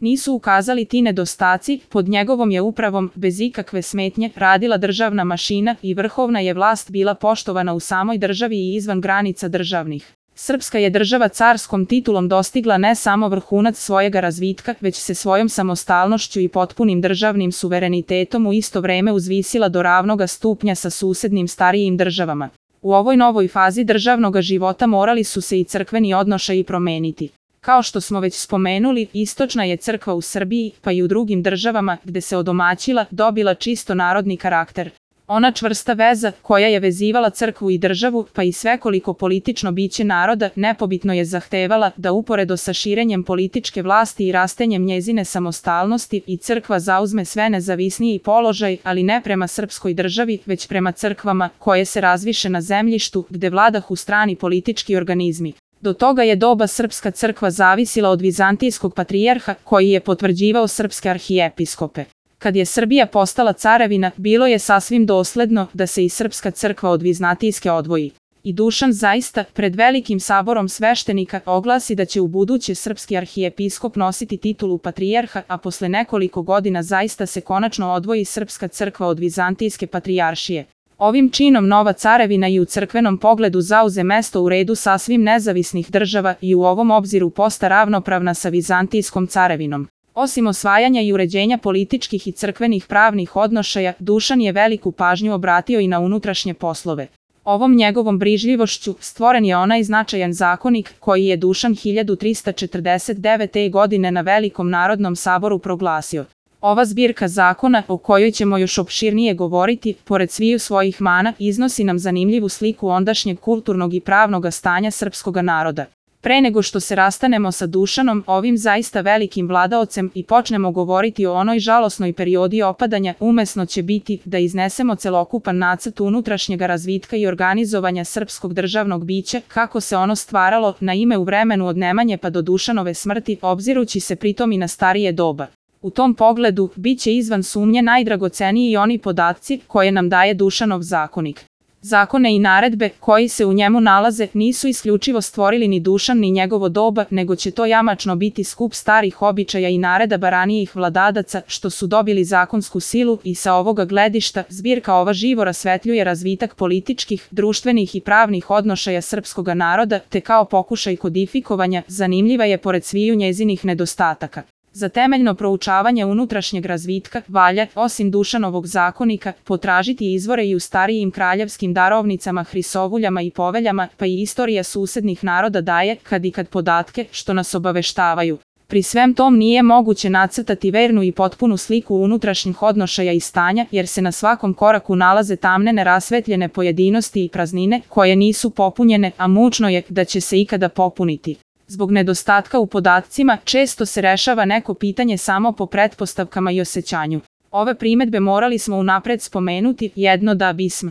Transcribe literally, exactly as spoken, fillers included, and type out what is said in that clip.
Nisu ukazali ti nedostaci, pod njegovom je upravom, bez ikakve smetnje, radila državna mašina i vrhovna je vlast bila poštovana u samoj državi i izvan granica državnih. Srpska je država carskom titulom dostigla ne samo vrhunac svojega razvitka, već se svojom samostalnošću i potpunim državnim suverenitetom u isto vreme uzvisila do ravnoga stupnja sa susednim starijim državama. U ovoj novoj fazi državnog života morali su se i crkveni odnošaji promeniti. Kao što smo već spomenuli, istočna je crkva u Srbiji, pa i u drugim državama, gde se odomaćila, dobila čisto narodni karakter. Ona čvrsta veza, koja je vezivala crkvu i državu, pa i svekoliko politično biće naroda, nepobitno je zahtevala da uporedo sa širenjem političke vlasti i rastenjem njezine samostalnosti i crkva zauzme sve nezavisniji položaj, ali ne prema srpskoj državi, već prema crkvama, koje se razviše na zemljištu, gde vladahu strani politički organizmi. Do toga je doba srpska crkva zavisila od vizantijskog patrijarha, koji je potvrđivao srpske arhijepiskope. Kad je Srbija postala carevina, bilo je sasvim dosledno da se i srpska crkva od vizantijske odvoji. I Dušan zaista, pred velikim saborom sveštenika, oglasi da će u buduće srpski arhijepiskop nositi titulu patrijarha, a posle nekoliko godina zaista se konačno odvoji srpska crkva od vizantijske patrijaršije. Ovim činom nova carevina i u crkvenom pogledu zauze mesto u redu sasvim nezavisnih država i u ovom obziru posta ravnopravna sa vizantijskom carevinom. Osim osvajanja i uređenja političkih i crkvenih pravnih odnošaja, Dušan je veliku pažnju obratio i na unutrašnje poslove. Ovom njegovom brižljivošću stvoren je onaj značajan zakonik koji je Dušan hiljadu trista četrdeset devete. godine na Velikom narodnom saboru proglasio. Ova zbirka zakona, o kojoj ćemo još opširnije govoriti, pored sviju svojih mana, iznosi nam zanimljivu sliku ondašnjeg kulturnog i pravnog stanja srpskoga naroda. Pre nego što se rastanemo sa Dušanom, ovim zaista velikim vladaocem, i počnemo govoriti o onoj žalosnoj periodi opadanja, umesno će biti da iznesemo celokupan nacrt unutrašnjega razvitka i organizovanja srpskog državnog bića, kako se ono stvaralo, na ime u vremenu od Nemanje pa do Dušanove smrti, obzirući se pritom i na starije doba. U tom pogledu, bit će izvan sumnje najdragoceniji i oni podaci koje nam daje Dušanov zakonik. Zakone i naredbe koji se u njemu nalaze nisu isključivo stvorili ni Dušan ni njegovo doba, nego će to jamačno biti skup starih običaja i naredaba ranijih vladadaca, što su dobili zakonsku silu, i sa ovoga gledišta zbirka ova živo rasvetljuje razvitak političkih, društvenih i pravnih odnošaja srpskoga naroda, te kao pokušaj kodifikovanja zanimljiva je pored sviju njezinih nedostataka. Za temeljno proučavanje unutrašnjeg razvitka valja, osim Dušanovog zakonika, potražiti izvore i u starijim kraljevskim darovnicama, hrisovuljama i poveljama, pa i istorija susednih naroda daje kad i kad podatke što nas obaveštavaju. Pri svem tom nije moguće nacrtati vernu i potpunu sliku unutrašnjih odnošaja i stanja, jer se na svakom koraku nalaze tamne nerasvetljene pojedinosti i praznine, koje nisu popunjene, a mučno je da će se ikada popuniti. Zbog nedostatka u podacima, često se rešava neko pitanje samo po pretpostavkama i osjećanju. Ove primedbe morali smo unapred spomenuti, jedno da bismo